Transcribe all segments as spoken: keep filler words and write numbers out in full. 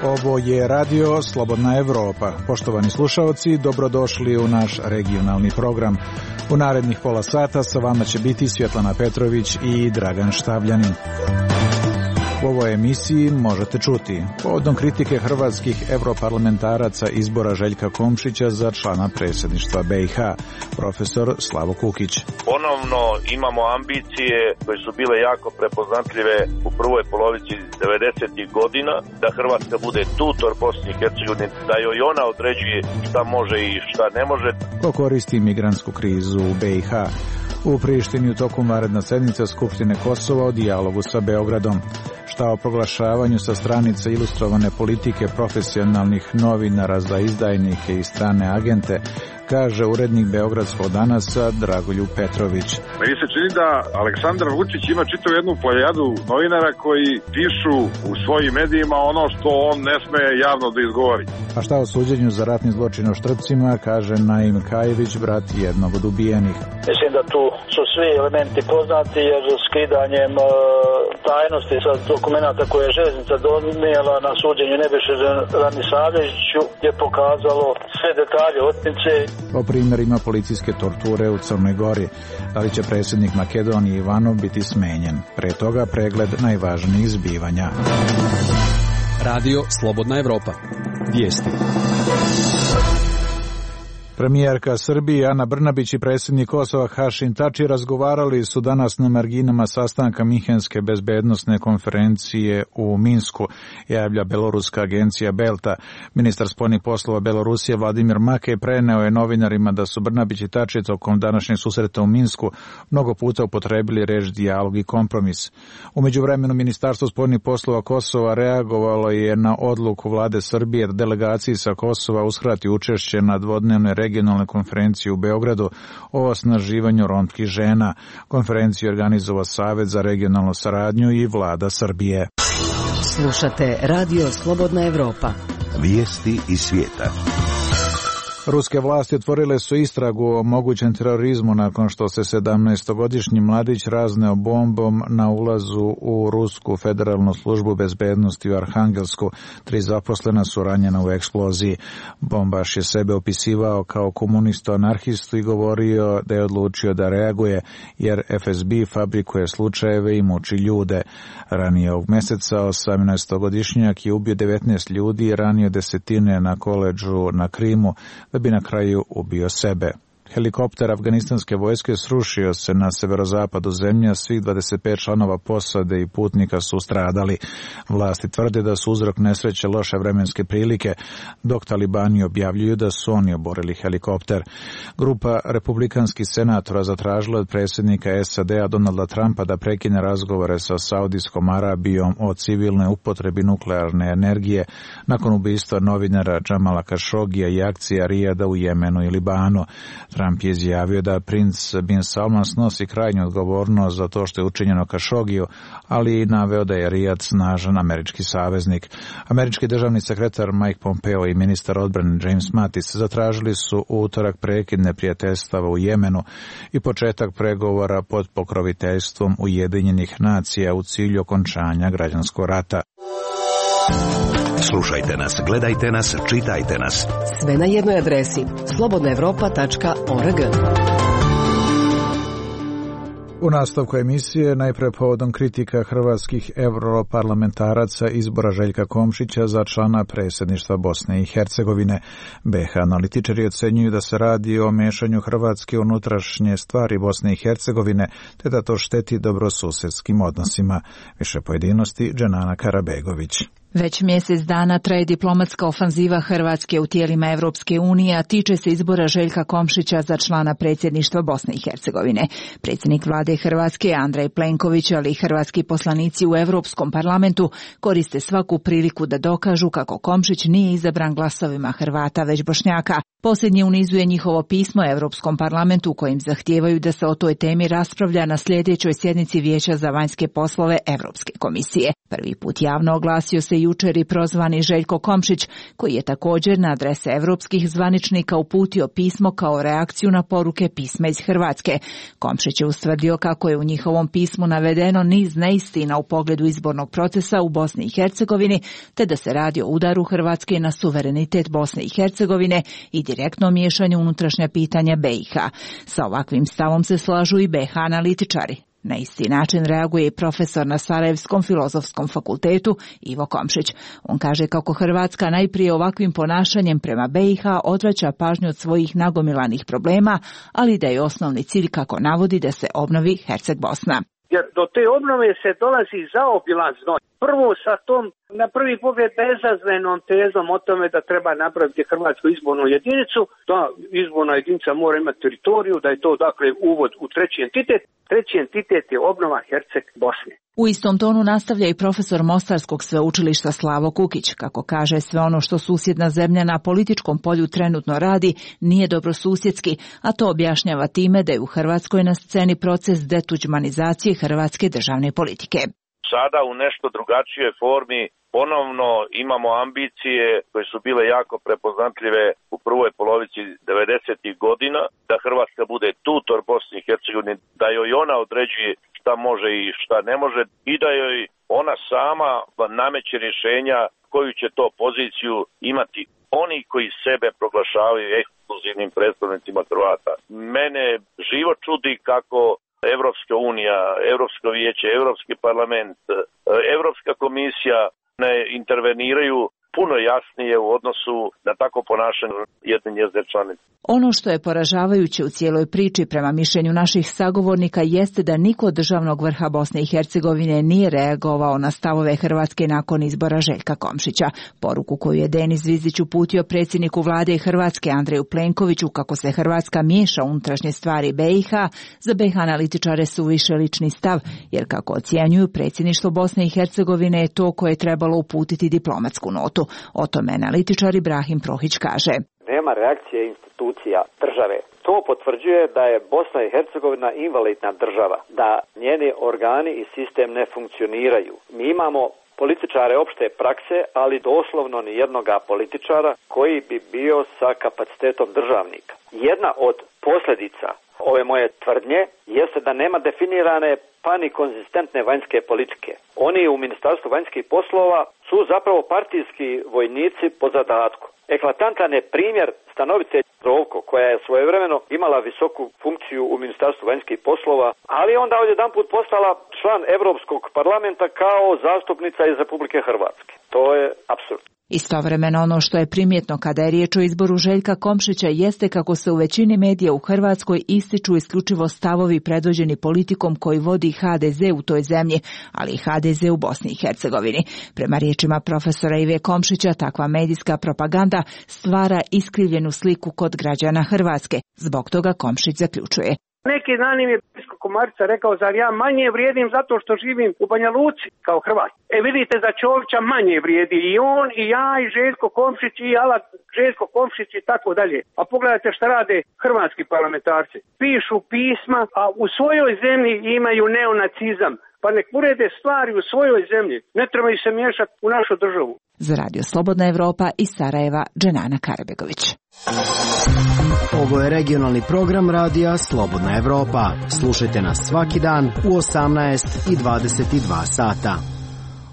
Ovo je radio Slobodna Evropa. Poštovani slušaoci, dobrodošli u naš regionalni program. U narednih pola sata sa vama će biti Svjetlana Petrović i Dragan Štavljanin. U ovoj emisiji možete čuti povodom kritike hrvatskih europarlamentaraca izbora Željka Komšića za člana predsjedništva B i H, profesor Slavo Kukić. Ponovno imamo ambicije koje su bile jako prepoznatljive u prvoj polovici devedesetih godina, da Hrvatska bude tutor Bosni i Hercegovini, da joj ona određuje šta može i šta ne može. Ko koristi migrantsku krizu u B i H? U Prištini u toku vanredna sednica Skupštine Kosova o dijalogu sa Beogradom. Šta o proglašavanju sa stranice ilustrovane politike profesionalnih novinara za izdajnike i strane agente, kaže urednik Beogradskog danasa Dragoljub Petrović. Meni se čini da Aleksandar Vučić ima čitav jednu plejadu novinara koji pišu u svojim medijima ono što on ne sme javno da izgovori. A šta o suđenju za ratni zločin u Štrpcima, kaže Naim Kajević, brat jednog od ubijenih. Mislim da tu su svi elementi poznati, jer skidanjem e, tajnosti sa dokumenta koje je željeznica donijela na suđenju Nebojši Ranisavljeviću je pokazalo sve detalje otmice. O primjerima policijske torture u Crnoj Gori. Da li će predsjednik Makedonije Ivanov biti smenjen? Pre toga pregled najvažnijih zbivanja. Radio Slobodna Evropa. Vijesti. Premijerka Srbije Ana Brnabić i predsjednik Kosova Hašim Tači razgovarali su danas na marginama sastanka Minhenske bezbednosne konferencije u Minsku, javlja beloruska agencija Belta. Ministar spoljnih poslova Belorusije Vladimir Makej preneo je novinarima da su Brnabić i Tači tokom današnjeg susreta u Minsku mnogo puta upotrebili reč dijalog i kompromis. U međuvremenu Ministarstvo spoljnih poslova Kosova reagovalo je na odluku vlade Srbije da delegaciji sa Kosova uskrati učešće na dvodnevnoj regionalne konferencije u Beogradu o osnaživanju romskih žena. Konferenciju organizovao Savet za regionalnu saradnju i vlada Srbije. Slušate Radio Slobodna Evropa. Vijesti iz svijeta. Ruske vlasti otvorile su istragu o mogućem terorizmu nakon što se sedamnaestogodišnji mladić razneo bombom na ulazu u Rusku federalnu službu bezbednosti u Arhangelsku. Tri zaposlena su ranjena u eksploziji. Bombaš je sebe opisivao kao komunistu anarhistu i govorio da je odlučio da reaguje, jer F S B fabrikuje slučajeve i muči ljude. Ranije ovog meseca osamnaestogodišnjak je ubio devetnaest ljudi i ranio desetine na koledžu na Krimu, da bi na kraju ubio sebe. Helikopter afganistanske vojske srušio se na severozapadu zemlje, svih dvadeset pet članova posade i putnika su stradali. Vlasti tvrde da su uzrok nesreće loše vremenske prilike, dok talibani objavljuju da su oni oborili helikopter. Grupa republikanskih senatora zatražila od predsjednika S A D-a Donalda Trumpa da prekine razgovore sa Saudijskom Arabijom o civilnoj upotrebi nuklearne energije nakon ubistva novinara Džamala Kašogija i akcija Rijada u Jemenu i Libanu. Trump je izjavio da princ Bin Salman snosi krajnju odgovornost za to što je učinjeno Kašogiju, ali i naveo da je Rijad snažan američki saveznik. Američki državni sekretar Mike Pompeo i ministar odbrane James Mattis zatražili su u utorak prekid neprijateljstava u Jemenu i početak pregovora pod pokroviteljstvom Ujedinjenih nacija u cilju okončanja građanskog rata. Slušajte nas, gledajte nas, čitajte nas. Sve na jednoj adresi slobodna evropa tačka org. U nastavku emisije najpre povodom kritika hrvatskih europarlamentaraca izbora Željka Komšića za člana predsjedništva Bosne i Hercegovine. B H analitičari ocenjuju da se radi o mešanju Hrvatske unutrašnje stvari Bosne i Hercegovine, te da to šteti dobrosusedskim odnosima. Više pojedinosti Dženana Karabegović. Već mjesec dana traje diplomatska ofanziva Hrvatske u tijelima Evropske unije, a tiče se izbora Željka Komšića za člana predsjedništva Bosne i Hercegovine. Predsjednik vlade Hrvatske Andrej Plenković, ali i hrvatski poslanici u Europskom parlamentu koriste svaku priliku da dokažu kako Komšić nije izabran glasovima Hrvata već Bošnjaka. Posljednji u nizu je njihovo pismo Europskom parlamentu u kojim zahtijevaju da se o toj temi raspravlja na sljedećoj sjednici Vijeća za vanjske poslove Europske komisije. Prvi put javno oglasio se jučer i prozvani Željko Komšić, koji je također na adrese europskih zvaničnika uputio pismo kao reakciju na poruke pisma iz Hrvatske. Komšić je ustvrdio kako je u njihovom pismu navedeno niz neistina u pogledu izbornog procesa u Bosni i Hercegovini, te da se radi o udaru Hrvatske na suverenitet Bosne i Hercegovine i direktno miješanju unutrašnja pitanja B i H. Sa ovakvim stavom se slažu i B H analitičari. Na isti način reaguje i profesor na Sarajevskom filozofskom fakultetu Ivo Komšić. On kaže kako Hrvatska najprije ovakvim ponašanjem prema B i H odvraća pažnju od svojih nagomilanih problema, ali da je osnovni cilj, kako navodi, da se obnovi Herceg Bosna. Jer do te obnove se dolazi zaobilazno. Prvo sa tom, na prvi pogled, bezazlenom tezom o tome da treba napraviti Hrvatsku izbornu jedinicu, da izborna jedinica mora imati teritoriju, da je to dakle uvod u treći entitet. Treći entitet je obnova Herceg Bosne. U istom tonu nastavlja i profesor Mostarskog sveučilišta Slavo Kukić, kako kaže sve ono što susjedna zemlja na političkom polju trenutno radi nije dobrosusjedski, a to objašnjava time da je u Hrvatskoj na sceni proces detuđmanizacije hrvatske državne politike. Sada u nešto drugačijoj formi ponovno imamo ambicije koje su bile jako prepoznatljive u prvoj polovici devedesetih godina, da Hrvatska bude tutor Bosni i Hercegovine, da joj ona određuje šta može i šta ne može i da joj ona sama nameće rješenja koju će to poziciju imati oni koji sebe proglašavaju ekskluzivnim predstavnicima Hrvata. Mene živo čudi kako Evropska unija, Europsko vijeće, Europski parlament, Europska komisija ne interveniraju puno jasnije u odnosu na tako ponašanje jedne njezine članice. Ono što je poražavajuće u cijeloj priči prema mišljenju naših sagovornika jeste da niko od državnog vrha Bosne i Hercegovine nije reagovao na stavove Hrvatske nakon izbora Željka Komšića. Poruku koju je Denis Zvizić uputio predsjedniku vlade Hrvatske Andreju Plenkoviću kako se Hrvatska miješa u unutrašnje stvari B i H, za B i H analitičare su više lični stav, jer kako ocjenjuju, predsjedništvo Bosne i Hercegovine je to koje je trebalo uputiti diplomatsku notu. O tome analitičar Ibrahim Prohić kaže. Nema reakcije institucija države. To potvrđuje da je Bosna i Hercegovina invalidna država, da njeni organi i sistem ne funkcioniraju. Mi imamo političare opšte prakse, ali doslovno ni jednoga političara koji bi bio sa kapacitetom državnika. Jedna od posljedica ove moje tvrdnje jeste da nema definirane pa ni konzistentne vanjske politike. Oni u Ministarstvu vanjskih poslova su zapravo partijski vojnici po zadatku. Eklatantan je primjer stanovice Rovko, koja je svojevremeno imala visoku funkciju u Ministarstvu vanjskih poslova, ali onda odjedanput postala član Europskog parlamenta kao zastupnica iz Republike Hrvatske. To je apsurd. Istovremeno ono što je primjetno kada je riječ o izboru Željka Komšića jeste kako se u većini medija u Hrvatskoj ističu isključivo stavovi predvođeni politikom koji vodi H D Z u toj zemlji, ali i H D Z u Bosni i Hercegovini. Prema riječima profesora Ive Komšića, takva medijska propaganda stvara iskrivljenu sliku kod građana Hrvatske. Zbog toga Komšić zaključuje. Neki dan im je Pisko Komarica rekao, zar ja manje vrijedim zato što živim u Banja Luci kao Hrvat. E vidite, za Čovića manje vrijedi i on i ja i Željko Komšić i Alat Željko Komšić i tako dalje. A pogledajte šta rade hrvatski parlamentarci. Pišu pisma, a u svojoj zemlji imaju neonacizam. Pa nek urede stvari u svojoj zemlji. Ne trebaju se miješati u našu državu. Za Radio Slobodna Evropa iz Sarajeva, Dženana Karabegović. Ovo je regionalni program radija Slobodna Evropa. Slušajte nas svaki dan u osamnaest i dvadeset dva sata.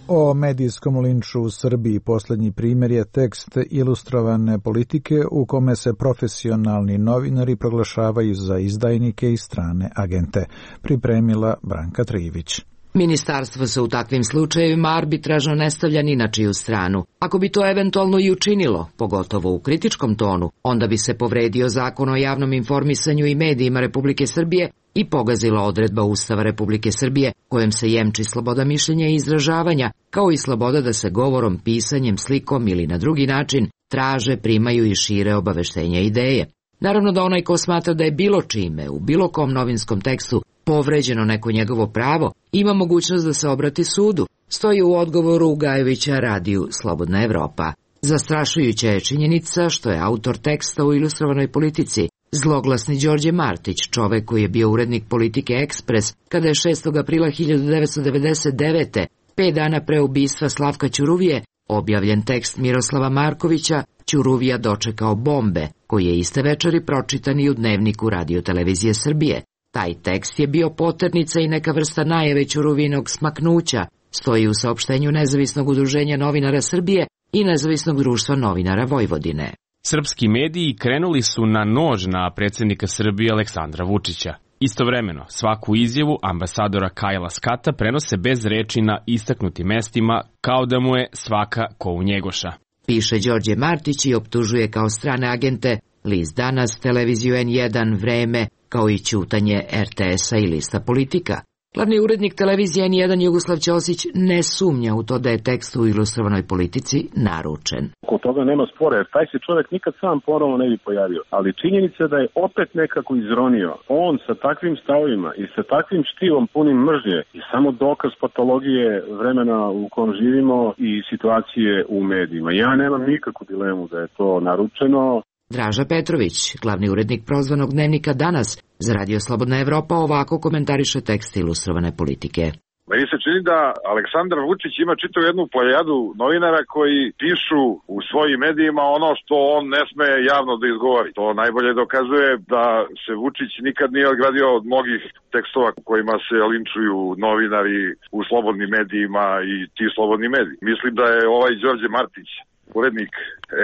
O medijskom linču u Srbiji posljednji primjer je tekst ilustrovane politike u kome se profesionalni novinari proglašavaju za izdajnike i strane agente. Pripremila Branka Trivić. Ministarstvo se u takvim slučajevima arbitražno ne stavlja ni na čiju stranu. Ako bi to eventualno i učinilo, pogotovo u kritičkom tonu, onda bi se povredio Zakon o javnom informisanju i medijima Republike Srbije i pogazila odredba Ustava Republike Srbije kojom se jemči sloboda mišljenja i izražavanja, kao i sloboda da se govorom, pisanjem, slikom ili na drugi način traže, primaju i šire obaveštenja i ideje. Naravno da onaj ko smatra da je bilo čime, u bilo kom novinskom tekstu, povređeno neko njegovo pravo, ima mogućnost da se obrati sudu, stoji u odgovoru Ugajevića radiju Slobodna Evropa. Zastrašujuća je činjenica što je autor teksta u Ilustrovanoj politici zloglasni Đorđe Martić, čovek koji je bio urednik Politike Ekspres, kada je šestog aprila hiljadu devetsto devedeset devete. pet dana pre ubistva Slavka Ćuruvije, objavljen tekst Miroslava Markovića Ćuruvija dočekao bombe, koji je iste večeri pročitan i u dnevniku Radio-televizije Srbije. Taj tekst je bio poternica i neka vrsta najave Ćuruvinog smaknuća, stoji u saopštenju Nezavisnog udruženja novinara Srbije i Nezavisnog društva novinara Vojvodine. Srpski mediji krenuli su na nož na predsjednika Srbije Aleksandra Vučića. Istovremeno, svaku izjavu ambasadora Kajla Skata prenose bez reči na istaknutim mestima, kao da mu je svaka ko u Njegoša. Piše Đorđe Martić i optužuje kao strane agente List Danas, televiziju en jedan, Vreme, kao i ćutanje er te esa i Lista Politika. Glavni urednik televizije en jedan Jugoslav Ćosić ne sumnja u to da je tekst u Ilustrovanoj politici naručen. Oko toga nema spora, jer taj se čovjek nikad sam ponovno ne bi pojavio. Ali činjenica da je opet nekako izronio. On sa takvim stavovima i sa takvim štivom punim mržnje je samo dokaz patologije vremena u kojem živimo i situacije u medijima. Ja nemam nikakvu dilemu da je to naručeno. Draža Petrović, glavni urednik prozvanog dnevnika Danas, za Radio Slobodna Evropa ovako komentariše tekst Ilustrovane politike. Meni se čini da Aleksandar Vučić ima čitavu jednu plejadu novinara koji pišu u svojim medijima ono što on ne sme javno da izgovori. To najbolje dokazuje da se Vučić nikad nije odgradio od mnogih tekstova kojima se linčuju novinari u slobodnim medijima i ti slobodni mediji. Mislim da je ovaj Đorđe Martić, urednik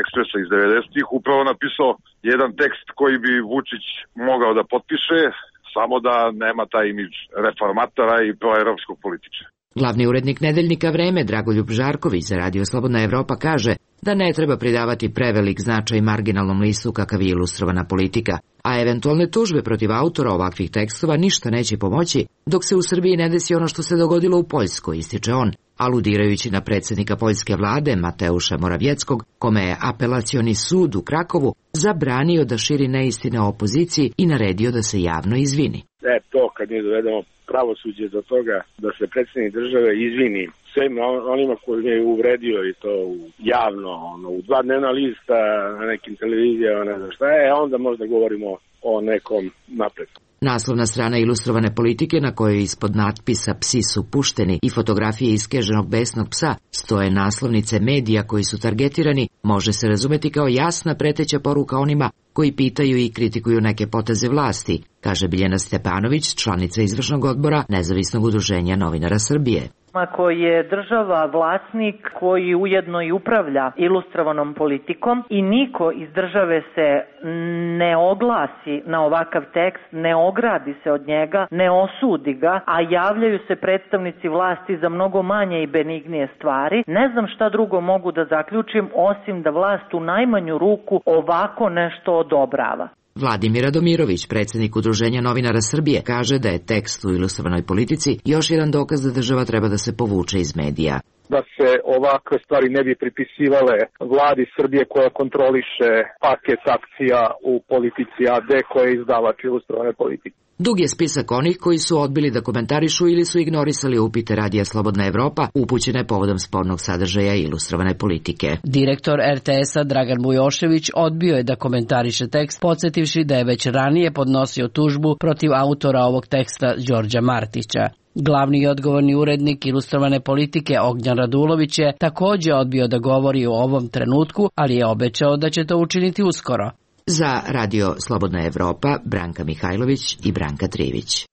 Ekspresa iz devedesetih, upravo napisao jedan tekst koji bi Vučić mogao da potpiše, samo da nema taj imidž reformatora i proevropskog političara. Glavni urednik nedeljnika Vreme Dragoljub Žarković za Radio Slobodna Evropa kaže da ne treba pridavati prevelik značaj marginalnom listu kakav je Ilustrovana politika, a eventualne tužbe protiv autora ovakvih tekstova ništa neće pomoći dok se u Srbiji ne desi ono što se dogodilo u Poljskoj, ističe on, aludirajući na predsjednika poljske vlade Mateuša Moravjeckog, kome je apelacioni sud u Krakovu zabranio da širi neistine o opoziciji i naredio da se javno izvini. E, to kad mi dovedemo pravosuđe do toga da se predsjednik države izvini svim onima koji je uvredio i to javno, ono, u dva dnevna lista na nekim televizijama, ne znam šta je, a onda možda govorimo o nekom napretku. Naslovna strana Ilustrovane politike, na kojoj ispod natpisa "Psi su pušteni" i fotografije iskeženog besnog psa stoje naslovnice medija koji su targetirani, može se razumeti kao jasna preteća poruka onima koji pitaju i kritikuju neke poteze vlasti, kaže Biljana Stepanović, članica izvršnog odbora Nezavisnog udruženja novinara Srbije. Ako je država vlasnik koji ujedno i upravlja Ilustrovanom politikom i niko iz države se ne oglasi na ovakav tekst, ne ogradi se od njega, ne osudi ga, a javljaju se predstavnici vlasti za mnogo manje i benignije stvari, ne znam šta drugo mogu da zaključim osim da vlast u najmanju ruku ovako nešto odobrava. Vladimir Radomirović, predsjednik Udruženja novinara Srbije, kaže da je tekst u Ilustrovanoj politici još jedan dokaz da država treba da se povuče iz medija. Da se ovakve stvari ne bi pripisivale vladi Srbije koja kontroliše paket akcija u politici a de koja je izdavač Ilustrovane politike. Dug je spisak onih koji su odbili da komentarišu ili su ignorisali upite Radija Slobodna Evropa upućene povodom spornog sadržaja Ilustrovane politike. Direktor er te esa Dragan Bujošević odbio je da komentariše tekst, podsjetivši da je već ranije podnosio tužbu protiv autora ovog teksta Đorđa Martića. Glavni i odgovorni urednik Ilustrovane politike Ognjan Radulović je također odbio da govori o ovom trenutku, ali je obećao da će to učiniti uskoro. Za Radio Slobodna Evropa, Branka Mihajlović i Branka Trivić.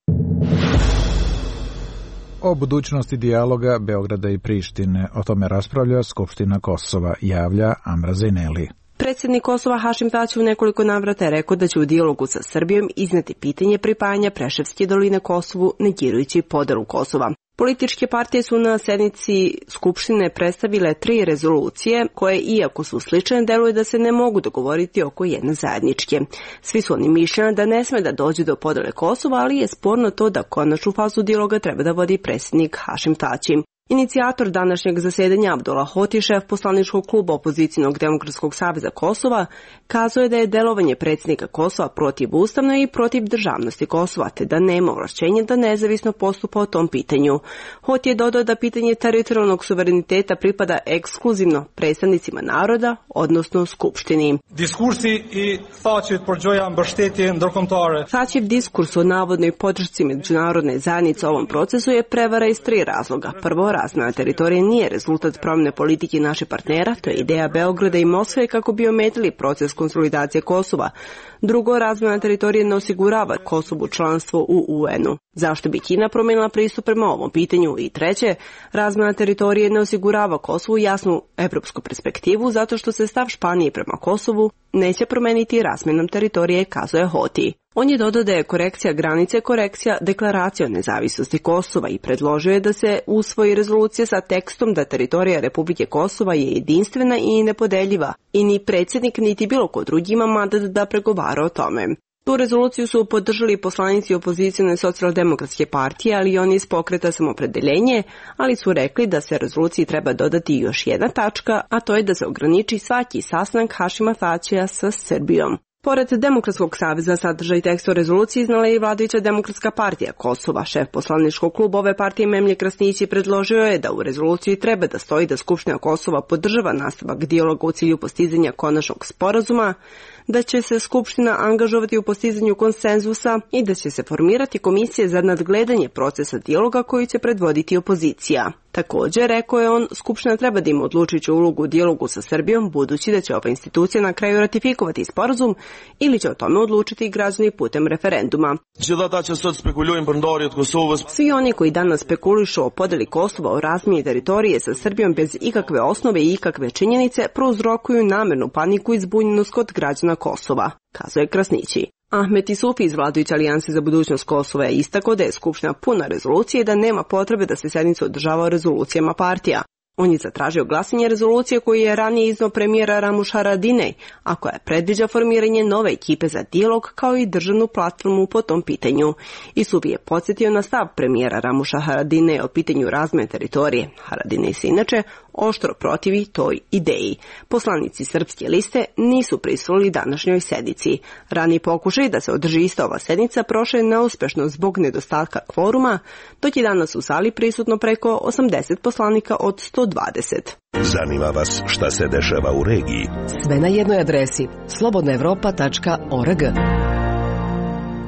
O budućnosti dijaloga Beograda i Prištine. O tome raspravlja Skupština Kosova, javlja Amra Zejneli. Predsjednik Kosova Hašim Tači u nekoliko navrata je rekao da će u dijalogu sa Srbijom izneti pitanje pripajanja Preševske doline Kosovu, negirajući podelu Kosova. Političke partije su na sednici Skupštine predstavile tri rezolucije koje, iako su slične, deluju da se ne mogu dogovoriti oko jedne zajedničke. Svi su oni mišljeni da ne sme da dođe do podele Kosova, ali je sporno to da konačnu fazu dijaloga treba da vodi predsjednik Hašim Tači. Inicijator današnjeg zasedanja Abdullah Hoti, šef poslaničkog kluba opozicijnog Demokratskog saveza Kosova, kazuje da je delovanje predsjednika Kosova protivustavno i protiv državnosti Kosova, te da nema ovlašćenja da nezavisno postupa o tom pitanju. Hoti je dodao da pitanje teritorijalnog suvereniteta pripada ekskluzivno predstavnicima naroda, odnosno Skupštini. Diskursi i thaqet për gjoja mbështetje ndërkombëtare. Thaçev diskurs o navodnoj podršci međunarodne zajednice ovom procesu je prevara iz tri razloga. Prvo, razmjena teritorije nije rezultat promjene politike naših partnera, to je ideja Beograda i Moskve kako bi ometili proces konsolidacije Kosova. Drugo, razmjena teritorije ne osigurava Kosovu članstvo u U N-u. Zašto bi Kina promijenila pristup prema ovom pitanju? I treće, razmjena teritorije ne osigurava Kosovu jasnu evropsku perspektivu zato što se stav Španije prema Kosovu neće promeniti razmjenom teritorije, kazuje Hoti. On je dodao da je korekcija granice korekcija deklaracije o nezavisnosti Kosova i predložio je da se usvoji rezolucija sa tekstom da teritorija Republike Kosova je jedinstvena i nepodeljiva i ni predsjednik niti bilo ko drugi ima mandat da pregovara o tome. Tu rezoluciju su podržali poslanici opozicijone socijaldemokratske partije, ali i oni iz pokreta Samopredeljenje, ali su rekli da se rezoluciji treba dodati još jedna tačka, a to je da se ograniči svaki sastanak Hašima Thaçija sa Srbijom. Pored Demokratskog saveza, sadržaj teksta rezolucije iznala je i vladajuća Demokratska partija Kosova. Šef poslaničkog kluba ove partije Memlje Krasnići predložio je da u rezoluciji treba da stoji da Skupština Kosova podržava nastavak dijaloga u cilju postizanja konačnog sporazuma, da će se Skupština angažovati u postizanju konsenzusa i da će se formirati komisije za nadgledanje procesa dijaloga koji će predvoditi opozicija. Također, rekao je on, Skupština treba da ima odlučujuću ulogu u dijalogu sa Srbijom, budući da će ova institucija na kraju ratifikovati sporazum ili će o tome odlučiti građani putem referenduma. Svi oni koji danas spekulišu o podeli Kosova o razmjeni teritorije sa Srbijom bez ikakve osnove i ikakve činjenice prouzrokuju namernu paniku i zbunjenost kod građana Kosova, kazuje Krasnići. Ahmet Isufi iz vladajuće alijanse za budućnost Kosova je istakao da je Skupština puna rezolucije i da nema potrebe da se sednica održava o rezolucijama partija. On je zatražio glasanje rezolucije koju je ranije iznao premijera Ramuš Haradinaj, a koja predviđa formiranje nove ekipe za dijalog kao i državnu platformu po tom pitanju. Isufi je podsjetio na stav premijera Ramuša Haradinaj o pitanju razmjene teritorije. Haradinaj se inače oštro protivi toj ideji. Poslanici Srpske liste nisu prisustvovali današnjoj sednici. Raniji pokušaj da se održi ista ova sednica prošao je neuspešno zbog nedostatka kvoruma, dok je danas u sali prisutno preko osamdeset poslanika od sto dvadeset. Zanima vas šta se dešava u regiji? Sve na jednoj adresi slobodna evropa tačka org.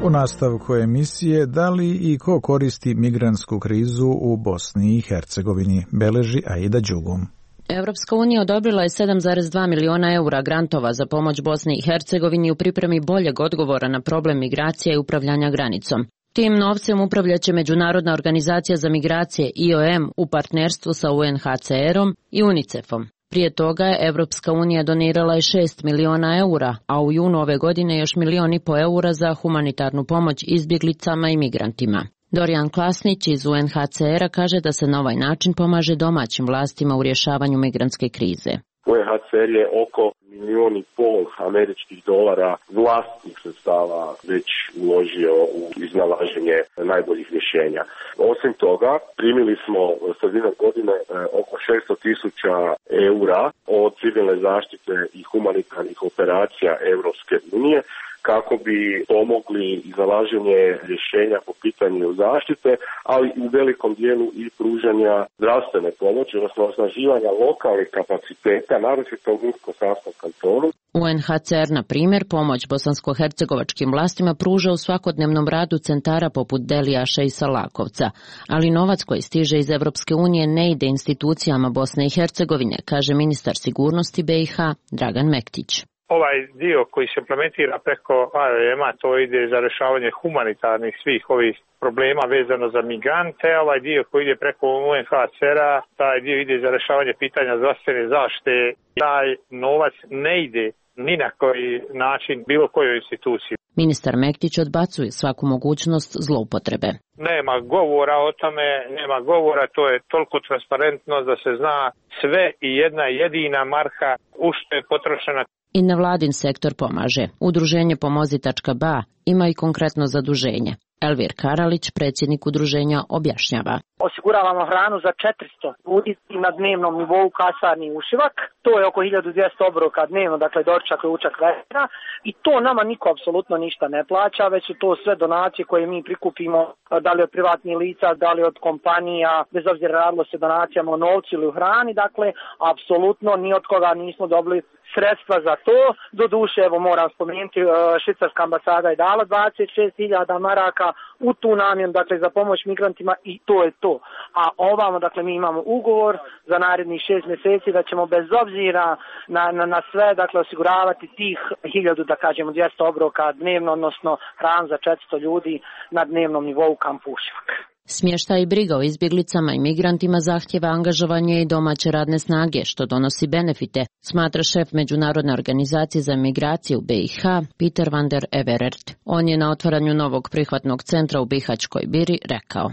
U nastavku emisije da li i ko koristi migrantsku krizu u Bosni i Hercegovini, beleži Aida Đugum. Evropska unija odobrila je sedam zarez dva miliona eura grantova za pomoć Bosni i Hercegovini u pripremi boljeg odgovora na problem migracija i upravljanja granicom. Tim novcem upravljaće Međunarodna organizacija za migracije I O M u partnerstvu sa U N H C R-om i UNICEF-om. Prije toga je Evropska unija donirala je šest miliona eura, a u junu ove godine još milion i po eura za humanitarnu pomoć izbjeglicama i migrantima. Dorijan Klasnić iz U N H C R-a kaže da se na ovaj način pomaže domaćim vlastima u rješavanju migrantske krize. U N H C R je oko milijon i pol američkih dolara vlastnih sredstava već uložio u iznalaženje najboljih rješenja. Osim toga, primili smo sredinom godine oko šesto tisuća eura od civilne zaštite i humanitarnih operacija Europske unije kako bi pomogli iznalaženje rješenja po pitanju zaštite, ali u velikom dijelu i pružanja zdravstvene pomoći, odnosno osnaživanja lokalnih kapaciteta, naročito u Unsko-Sanskom kantonu. U N H C R, na primjer, pomoć bosansko-hercegovačkim vlastima pruža u svakodnevnom radu centara poput Delijaša i Salakovca, ali novac koji stiže iz Evropske unije ne ide institucijama Bosne i Hercegovine, kaže ministar sigurnosti B i H Dragan Mektić. Ovaj dio koji se implementira preko A R M-a, to ide za rješavanje humanitarnih svih ovih problema vezano za migrante, a ovaj dio koji ide preko U N H C R-a, taj dio ide za rješavanje pitanja zdravstvene zaštite. Taj novac ne ide ni na koji način bilo kojoj instituciji. Ministar Mektić odbacuje svaku mogućnost zloupotrebe. Nema govora o tome, nema govora, to je toliko transparentno da se zna sve i jedna jedina marka u što je potrošena. I nevladin sektor pomaže. Udruženje Pomozi tačka ba ima i konkretno zaduženje. Elvir Karalić, predsjednik udruženja, objašnjava. Osiguravamo hranu za četiristo ljudi na dnevnom nivou kasarni Ušivak. To je oko hiljadu dvjesto obroka dnevno, dakle doručak, ručak, večera. I to nama niko apsolutno ništa ne plaća, već su to sve donacije koje mi prikupimo, da li od privatnih lica, da li od kompanija, bez obzira radilo se donacijama o novcu ili u hrani. Dakle, apsolutno ni od koga nismo dobili sredstva za to. Doduše, evo moram spomenuti, švicarska ambasada je dala dvadeset šest hiljada maraka u tu namjenu, dakle za pomoć migrantima i to je to. A ovamo, dakle mi imamo ugovor za narednih šest mjeseci da ćemo bez obzira na, na, na sve, dakle osiguravati tih hiljadu, da kažemo dvjesto obroka dnevno, odnosno hran za četiristo ljudi na dnevnom nivou u kampu Ušivak. Smještaj i briga o izbjeglicama i migrantima zahtjeva angažovanje i domaće radne snage, što donosi benefite, smatra šef Međunarodne organizacije za migracije u B i H, Peter van der Everert. On je na otvaranju novog prihvatnog centra u Bihaćkoj Biri rekao.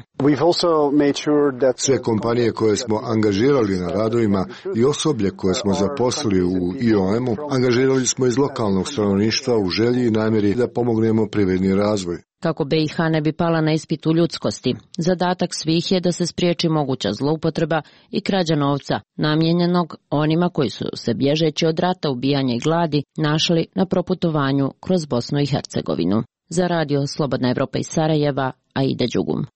Sve kompanije koje smo angažirali na radovima i osoblje koje smo zaposlili u I O M-u, angažirali smo iz lokalnog stanovništva u želji i namjeri da pomognemo privredni razvoj. Kako B i H ne bi pala na ispitu ljudskosti, zadatak svih je da se spriječi moguća zloupotreba i krađa novca, namijenjenog onima koji su se bježeći od rata, ubijanja i gladi našli na proputovanju kroz Bosnu i Hercegovinu. Za radio Slobodna Evropa iz Sarajeva, Aida Đugum.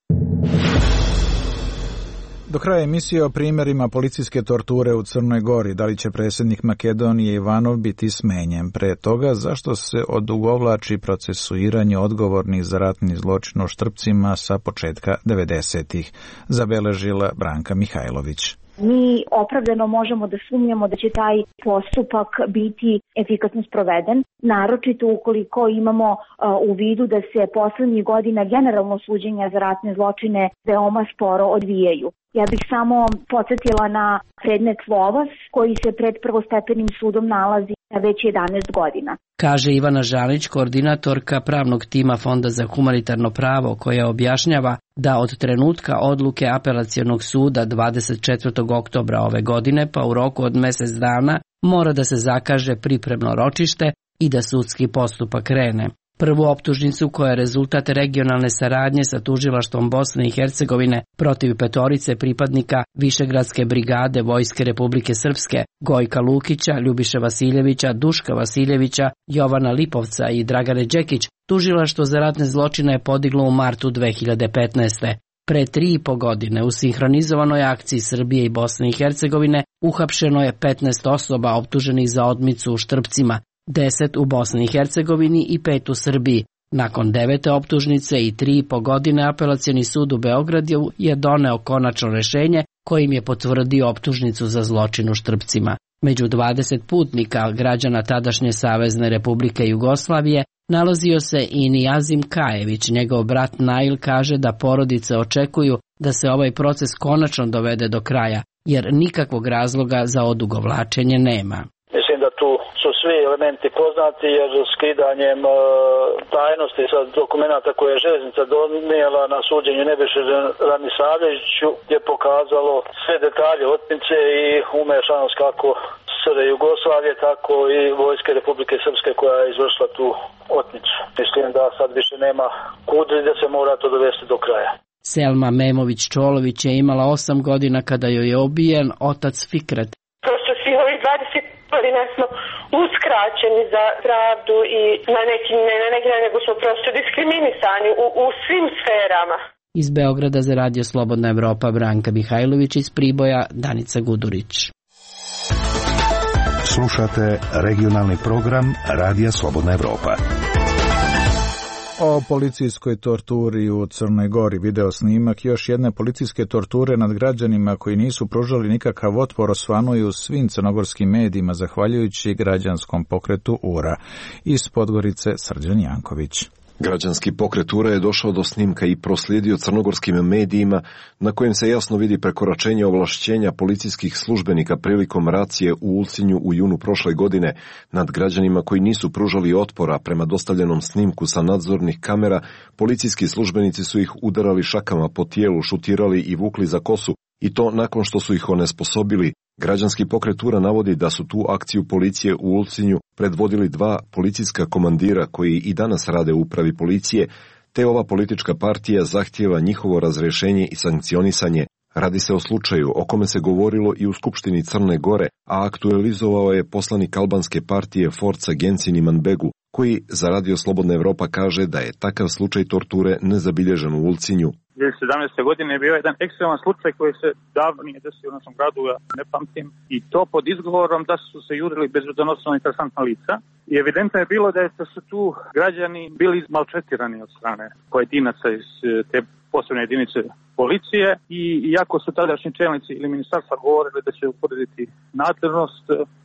Do kraja emisije o primjerima policijske torture u Crnoj Gori. Da li će predsjednik Makedonije Ivanov biti smenjen? Pre toga, zašto se odugovlači procesuiranje odgovornih za ratni zločin u Štrpcima sa početka devedesetih? Zabeležila Branka Mihajlović. Mi opravdano možemo da sumnjamo da će taj postupak biti efikasno sproveden, naročito ukoliko imamo uh, u vidu da se poslednjih godina generalno suđenja za ratne zločine veoma sporo odvijaju. Ja bih samo podsjetila na predmet Lovas koji se pred prvostepenim sudom nalazi na već jedanaest godina. Kaže Ivana Žalić, koordinatorka pravnog tima Fonda za humanitarno pravo, koja objašnjava da od trenutka odluke apelacionog suda dvadeset četvrtog oktobra ove godine pa u roku od mjesec dana mora da se zakaže pripremno ročište i da sudski postupak krene. Prvu optužnicu, koja je rezultat regionalne saradnje sa tužilaštvom Bosne i Hercegovine protiv petorice pripadnika Višegradske brigade Vojske Republike Srpske, Gojka Lukića, Ljubiše Vasiljevića, Duška Vasiljevića, Jovana Lipovca i Dragane Đekić, tužilaštvo za ratne zločine je podiglo u martu dve hiljade petnaeste. Pre tri i po godine u sinhronizovanoj akciji Srbije i Bosne i Hercegovine uhapšeno je petnaest osoba optuženih za odmicu u Štrpcima, deset u Bosni i Hercegovini i pet u Srbiji. Nakon devete optužnice i tri i po godine apelacioni sud u Beogradu je doneo konačno rešenje kojim je potvrdio optužnicu za zločin u Štrpcima. Među dvadeset putnika građana tadašnje Savezne Republike Jugoslavije nalazio se i Nijazim Kajević. Njegov brat Nail kaže da porodice očekuju da se ovaj proces konačno dovede do kraja, jer nikakvog razloga za odugovlačenje nema. Mislim da tu su svi elementi poznati, jer skidanjem e, tajnosti sa dokumenta koje je željeznica donijela na suđenju Nebojši Ranisavljeviću je pokazalo sve detalje otmice i umešanost kako S R Jugoslavije, tako i Vojske Republike Srpske koja je izvršila tu otmicu. Mislim da sad više nema kudri, da se mora to dovesti do kraja. Selma Memović-Čolović je imala osam godina kada joj je ubijen otac Fikret. Prosto svi ovi dvadeset godina smo uskraćeni za pravdu i na neki, ne na neki nego smo prosto diskriminisani u, u svim sferama. Iz Beograda za radio Slobodna Evropa Branka Mihajlović, iz Priboja Danica Gudurić. Slušate regionalni program Radija Slobodna Evropa. O policijskoj torturi u Crnoj Gori. Video snimak još jedne policijske torture nad građanima koji nisu pružali nikakav otpor osvanuju u svim crnogorskim medijima zahvaljujući građanskom pokretu U R A. Iz Podgorice Srđan Janković. Građanski pokret U R A je došao do snimka i proslijedio crnogorskim medijima na kojem se jasno vidi prekoračenje ovlašćenja policijskih službenika prilikom racije u Ulcinju u junu prošle godine nad građanima koji nisu pružali otpora. Prema dostavljenom snimku sa nadzornih kamera, policijski službenici su ih udarali šakama po tijelu, šutirali i vukli za kosu, i to nakon što su ih onesposobili. Građanski pokret U R A navodi da su tu akciju policije u Ulcinju predvodili dva policijska komandira koji i danas rade u upravi policije, te ova politička partija zahtijeva njihovo razrješenje i sankcionisanje. Radi se o slučaju o kome se govorilo i u Skupštini Crne Gore, a aktualizovao je poslanik albanske partije Forca Gensin Imanbegu, koji za Radio Slobodna Evropa kaže da je takav slučaj torture nezabilježen u Ulcinju. dvije hiljade sedamnaeste. godine je bio jedan ekstreman slučaj koji se davno nije desio u našem gradu, ja ne pamtim, i to pod izgovorom da su se jurili bezbednosno interesantna lica. I evidentno je bilo da, je, da su tu građani bili maltretirani od strane pojedinaca iz te posebne jedinice policije i iako su tadašnji čelnici ili ministarstva govorili da će utvrditi nadležnost,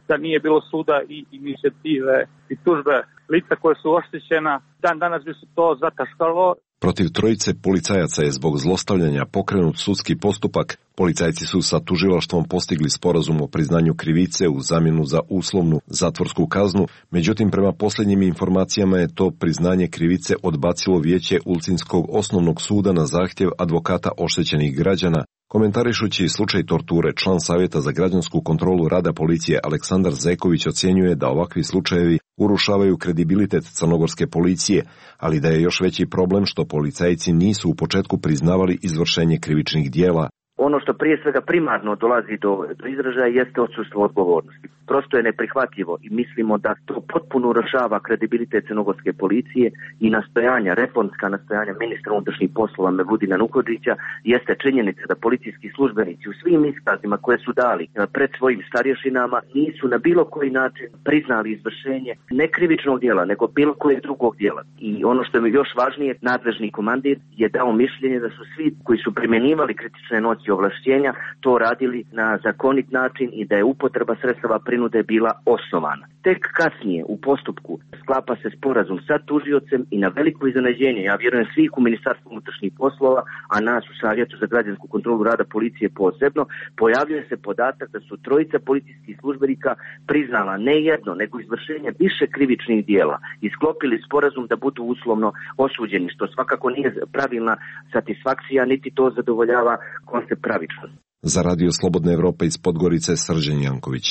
da nije bilo suda i inicijative i tužbe lica koje su oštećena, dan danas bi se to zataškalo. Protiv trojice policajaca je zbog zlostavljanja pokrenut sudski postupak. Policajci su sa tužilaštvom postigli sporazum o priznanju krivice u zamjenu za uslovnu zatvorsku kaznu, međutim prema posljednjim informacijama je to priznanje krivice odbacilo vijeće Ulcinskog osnovnog suda na zahtjev advokata oštećenih građana. Komentarišući slučaj torture, član Savjeta za građansku kontrolu rada policije Aleksandar Zeković ocjenjuje da ovakvi slučajevi urušavaju kredibilitet crnogorske policije, ali da je još veći problem što policajci nisu u početku priznavali izvršenje krivičnih dijela. Ono što prije svega primarno dolazi do, do izražaja jeste odsustvo odgovornosti. Prosto je neprihvatljivo i mislimo da to potpuno urušava kredibilitet crnogorske policije i nastojanja, reformska nastojanja ministra unutrašnjih poslova Mevludina Nuhodžića jeste činjenica da policijski službenici u svim iskazima koje su dali pred svojim starješinama nisu na bilo koji način priznali izvršenje ne krivičnog djela, nego bilo kojeg drugog djela. I ono što je još važnije, nadležni komandir je dao mišljenje da su svi koji su primjenjivali kritične noći ovlašćenja to radili na zakonit način i da je upotreba sredstava prinude bila osnovana. Tek kasnije u postupku sklapa se sporazum sa tužiocem i na veliko iznenađenje, ja vjerujem svih u Ministarstvu unutrašnjih poslova, a nas u Savjetu za građansku kontrolu rada policije posebno, pojavljuje se podatak da su trojica policijskih službenika priznala ne jedno, nego izvršenje više krivičnih dijela i sklopili sporazum da budu uslovno osuđeni, što svakako nije pravilna satisfakcija, niti to zadovoljava koncept pravičnosti. Za Radio Slobodna Evropa iz Podgorice, Srđan Janković.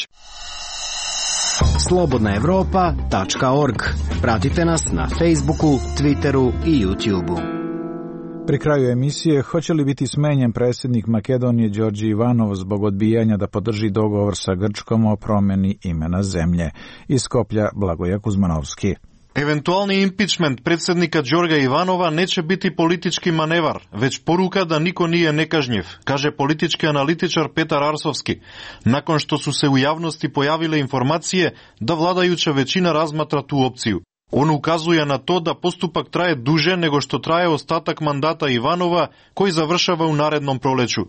slobodna evropa tačka org. Pratite nas na Facebooku, Twitteru i YouTubeu. Pri kraju emisije, hoće li biti smenjen predsjednik Makedonije Đorđe Ivanov zbog odbijanja da podrži dogovor sa Grčkom o promjeni imena zemlje? Iz Skoplja, Blagoja Kuzmanovski. Eventualni impičment predsjednika Đorga Ivanova neće biti politički manevar, već poruka da niko nije nekažnjiv, kaže politički analitičar Petar Arsovski, nakon što su se u javnosti pojavile informacije da vladajuća većina razmatra tu opciju. On ukazuje na to da postupak traje duže nego što traje ostatak mandata Ivanova, koji završava u narednom proleću.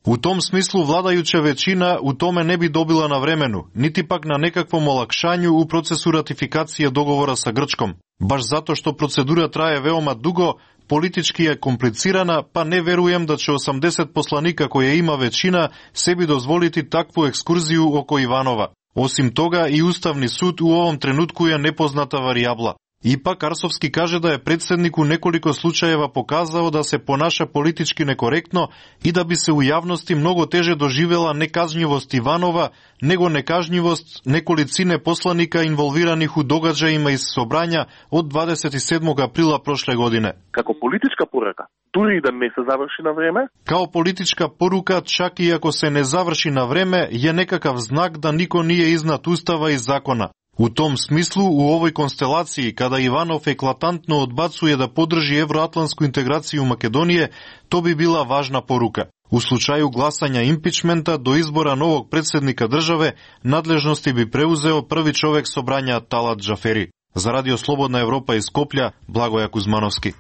U tom smislu vladajuća većina u tome ne bi dobila na vremenu, niti pak na nekakvom olakšanju u procesu ratifikacije dogovora sa Grčkom. Baš zato što procedura traje veoma dugo, politički je komplicirana, pa ne verujem da će osamdeset poslanika koje ima većina sebi dozvoliti takvu ekskurziju oko Ivanova. Osim toga, i Ustavni sud u ovom trenutku je nepoznata varijabla. Ipak Arsovski kaže da je predsjednik u nekoliko slučajeva pokazao da se ponaša politički nekorektno i da bi se u javnosti mnogo teže doživjela nekažnjivost Ivanova nego nekažnjivost nekolicine poslanika involviranih u događajima iz Sobranja od dvadeset sedmog aprila prošle godine. Kako politička poruka, tudi da ne se završi na vreme? Kao politička poruka, čak i ako se ne završi na vreme, je nekakav znak da niko nije iznad Ustava i zakona. U tom smislu, u ovoj konstelaciji, kada Ivanov eklatantno odbacuje da podrži evroatlantsku integraciju Makedonije, to bi bila važna poruka. U slučaju glasanja impičmenta do izbora novog predsjednika države, nadležnosti bi preuzeo prvi čovjek Sobranja Talat Džaferi. Za Radio Slobodna Evropa iz Skoplja, Blagoja Kuzmanovski.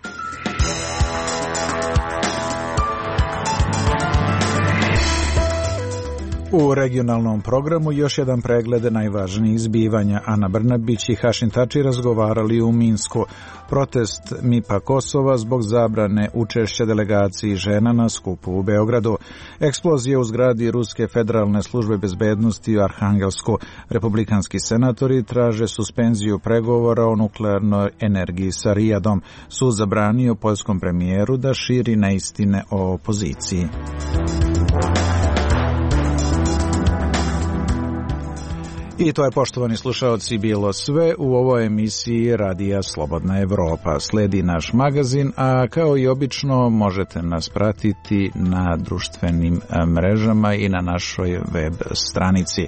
U regionalnom programu još jedan pregled najvažnijih zbivanja. Ana Brnabić i Hašim Tači razgovarali u Minsku. Protest MIPA Kosova zbog zabrane učešća delegaciji žena na skupu u Beogradu. Eksplozija u zgradi Ruske federalne službe bezbednosti u Arhangelsku. Republikanski senatori traže suspenziju pregovora o nuklearnoj energiji sa Rijadom. Sud zabranio poljskom premijeru da širi neistine o opoziciji. I to je, poštovani slušaoci, bilo sve u ovoj emisiji Radija Slobodna Evropa. Sledi naš magazin, a kao i obično možete nas pratiti na društvenim mrežama i na našoj web stranici.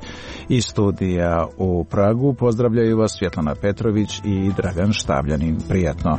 Iz studija u Pragu pozdravljaju vas Svjetlana Petrović i Dragan Štavljanin. Prijatno.